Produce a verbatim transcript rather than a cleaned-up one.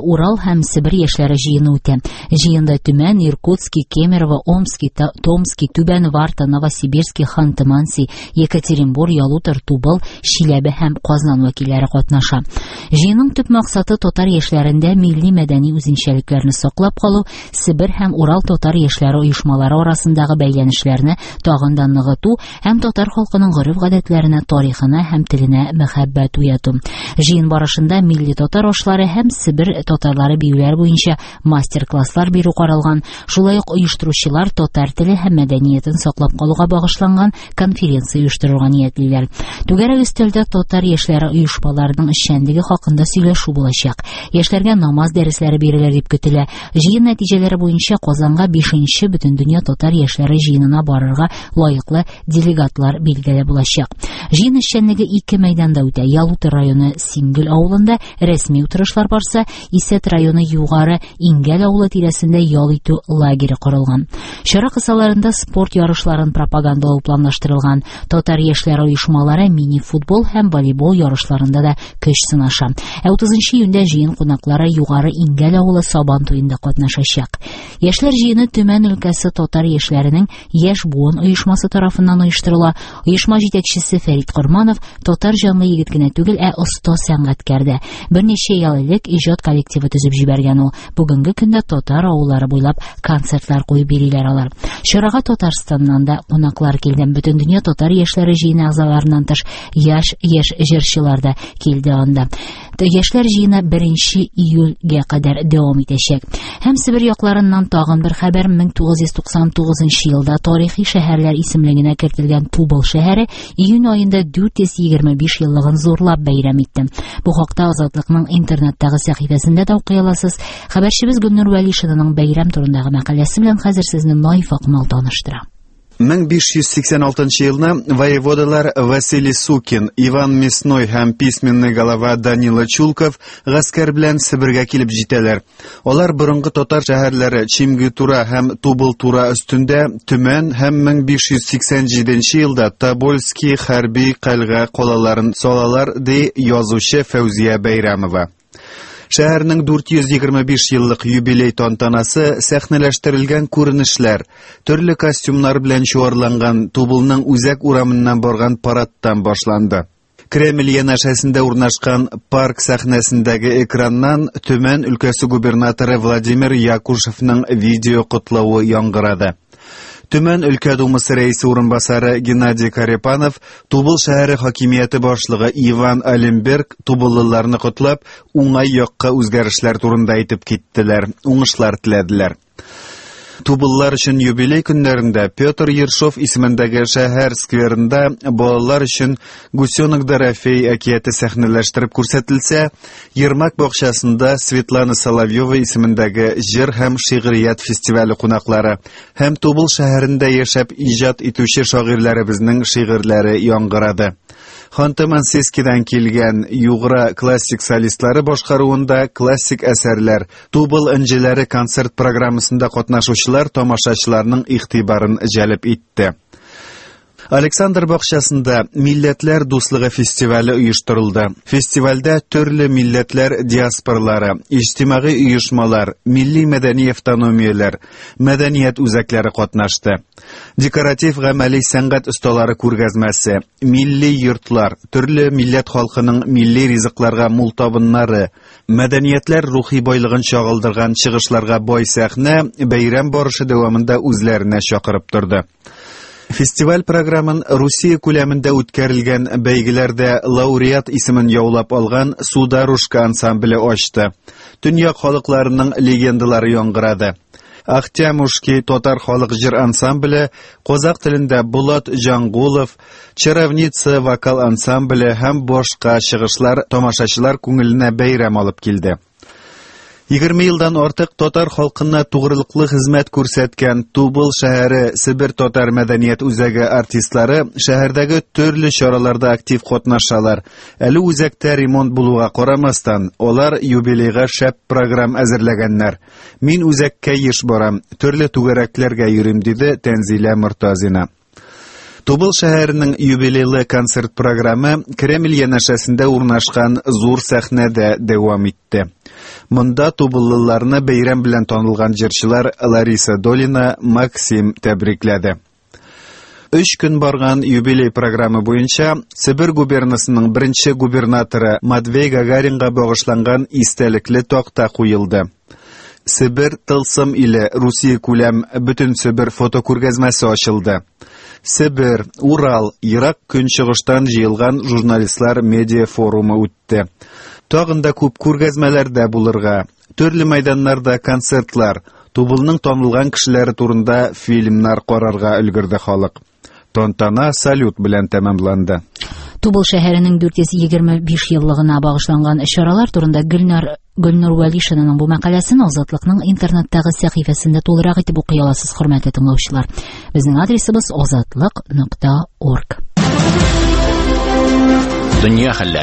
Урал һәм Себер яшьләре җыены үтә. Җыенда Төмән, Иркутски, Кемерово, Омски, Томски, Түбән Варта, Новосибирски, Ханты-Манси, Екатеринбур, Ялутор, Тубыл, Чиләбе һәм Казан вәкилләре катнаша. Җыенның төп максаты татар яшьләрендә милли мәдәни үзенчәлекләрне саклап калу, Себер һәм Урал татар яшьләре оешмалары арасындагы бәйләнешләрне тагын да ныгыту һәм татар халкының гореф-гадәтләренә, тарихына һәм теленә мәхәббәт уяту. Җыен барышында милли татар ашлары һәм Себер татарлары биюләре буенча мастер-класслар бирү каралган. Шулай ук оештыручылар татар теле һәм мәдәниятен саклап калуга багышланган конференция оештырырга ниятлиләр. Түгәрәк өстәлдә татар яшьләре оешмаларының эшчәнлеге хакында сөйләшү булачак. Яшьләргә намаз дәресләре бирелер дип көтелә. Җыен нәтиҗәләре буенча Казанга бишенче Бөтендөнья татар яшьләре җыенына барырга лаеклы делегатлар билгеле булачак. Җыен эшчәнлеге ике мәйданда үтә. Ялутор районы Сингел авылында рәсми утырышлар барса, Исәт районы Югары Иңгәл авылы тирәсендә ял итү лагере корылган. Чара кысаларында спорт ярышларын пропагандалау планлаштырылган. Татар яшьләре оешмалары мини-футбол һәм волейбол ярышларында да көч сынаша. Ә утызынчы июньдә җыен кунаклары Югары Иңгәл авылы Сабан туенда катнашачак. Яшьләр җыены Төмән өлкәсе татар яшьләренең Яшь буын оешмасы тарафыннан оештырыла. Оешма җитәкчесе Фәрит Корманов татар җанлы егет кенә түгел, ә оста сәнгатькәр дә. Берничә ел элек иҗат коллективы төзеп җибәргән ул. Бүгенге көндә татар авыллары буйлап концертлар куеп бириләр алар. Чарага Татарстаннан да кунаклар килде. Бөтендөнья татар яшьләре җыены әгъзаларыннан тыш яшь яшь җырчылар да килде анда. Яшьләр җыены беренче июльгә кадәр дәвам итәчәк. Һәм Себер якларыннан тагын бер хәбәр: мең тугыз йөз туксан тугызынчы елда тарихи шәһәрләр исемлегенә кертелгән Тубыл шәһәре июнь аенда дүрт йөз егерме биш еллыгын зурлап бәйрәм итте. Бу хакта Азатлыкның интернеттагы сәхифәсендә дә укый аласыз. Хәбәрчебез Гөлнур Вәлишинаның бәйрәм турындагы мәкаләсе белән хәзер сезне Наиф Акмал таныштыра. Мең биш йөз сиксән алтынчы елны воеводалар Василий Сукин, Иван Мясной һәм письменный голова Данила Чулков гаскәр белән Себергә килеп җитәләр. Алар борынгы татар шәһәрләре Чимгитура һәм Тубылтура өстендә Төмән һәм мең биш йөз сиксән җиденче елда Тобольский хәрби кальга калаларын салалар, ди язучы Фәүзия Бәйрәмова. Шәһәрнең дүрт йөз егерме биш еллык юбилей тантанасы сәхнәләштерелгән күренешләр, төрле костюмнар белән чуарланган Тубылның үзәк урамыннан барган парадтан башланды. Кремль янәшәсендә урнашкан парк сәхнәсендәге экраннан Төмән өлкәсе губернаторы Владимир Якушевның видео котлавы яңгырады. Төмән өлкә думасы рәисе урынбасары Геннадий Карепанов, Тубыл шәһәре хакимияте башлыгы Иван Алимберг тубыллыларны котлап, уңай якка үзгәрешләр турында әйтеп киттеләр, уңышлар теләделәр. Тубыллар өчен юбилей көннәрендә Петр Ершов исемендәге шәһәр скверында балалар өчен Гусенок Дорофей әкияте сәхнәләштереп күрсәтелсә, Ермак бакчасында Светлана Соловьева исемендәге җыр һәм шигърият фестивале кунаклары һәм Тубыл шәһәрендә яшәп иҗат итүче шагыйрьләребезнең шигырьләре яңгырады. Ханты-Мансийскидан килгән Югра классик солистлары башкаруында классик әсәрләр, Тубыл энҗеләре концерт программасында катнашучылар тамашачыларның игътибарын җәлеп итте. Александр бакчасында Милләтләр дуслыгы фестивале оештырылды. Фестивальдә төрле милләтләр диаспоралары, иҗтимагый оешмалар, милли мәдәни автономияләр, мәдәният үзәкләре катнашты. Декоратив гамәли сәнгать осталары күргәзмәсе, милли йортлар, төрле милләт халкының милли ризыкларга мул табыннары, мәдәниятләр рухи байлыгын чагылдырган чыгышларга бай сәхнә бәйрәм барышы дәвамында үзләренә чакырып торды. Фестиваль програмын Русия күләмендә үткәрелгән бәйгеләрдә лауреат исемен яулап алган Сударушка ансамбле ачты. Дөнья халыкларының легендалары яңгырады. Ахтямушки татар халык җыр ансамбле, казак телендә Булат Җангулов, Чаровница вокал ансамбле һәм башка чыгышлар тамашачылар күңеленә бәйрәм алып килде. Егерме елдан артык татар халкына тугрылыклы хезмәт күрсәткән Тубыл шәһәре Себер татар мәдәният үзәге артистлары шәһәрдәге төрле чараларда актив катнашалар. Әле үзәктә ремонт булуга карамастан, алар юбилейга шәп программ әзерләгәннәр. Мин үзәккә еш барам, төрле түгәрәкләргә йөрим, диде Тәнзилә Мортазина. Тубыл шәһәренең юбилейлы концерт программы Кремль янәшәсендә урнашкан зур сәхнәдә дәвам итте. Монда тубыллыларны бәйрәм белән танылган җырчылар Лариса Долина, Максим тәбрикләде. Өч көн барган юбилей программы буенча Себер губернасының беренче губернаторы Матвей Гагаринга багышланган истәлекле такта куелды. Себер тылсым иле Русия күләм бөтен Себер фотокүргәзмәсе ачылды. Себер, Урал, Ерак Көнчыгыштан җыелган журналистлар медиа форумы үтте. Тагын да күп күргәзмәләрдә булырга, төрле мәйданнарда концертлар, Тубылның танылган кешеләре турында фильмнар карарга өлгерде халык. Тантана салют белән тәмамланды. Тубыл шәһәренең дүрт йөз егерме биш еллыгына багышланган чаралар турында Гөлнар Гөлнур Вәлишинаның бу мәкаләсен Азатлыкның интернеттагы сәхифәсендә тулырак итеп укый аласыз, хөрмәтле тыңлаучылар. Безнең адресыбыз азатлык нокта орг. Дөнья хәлләре.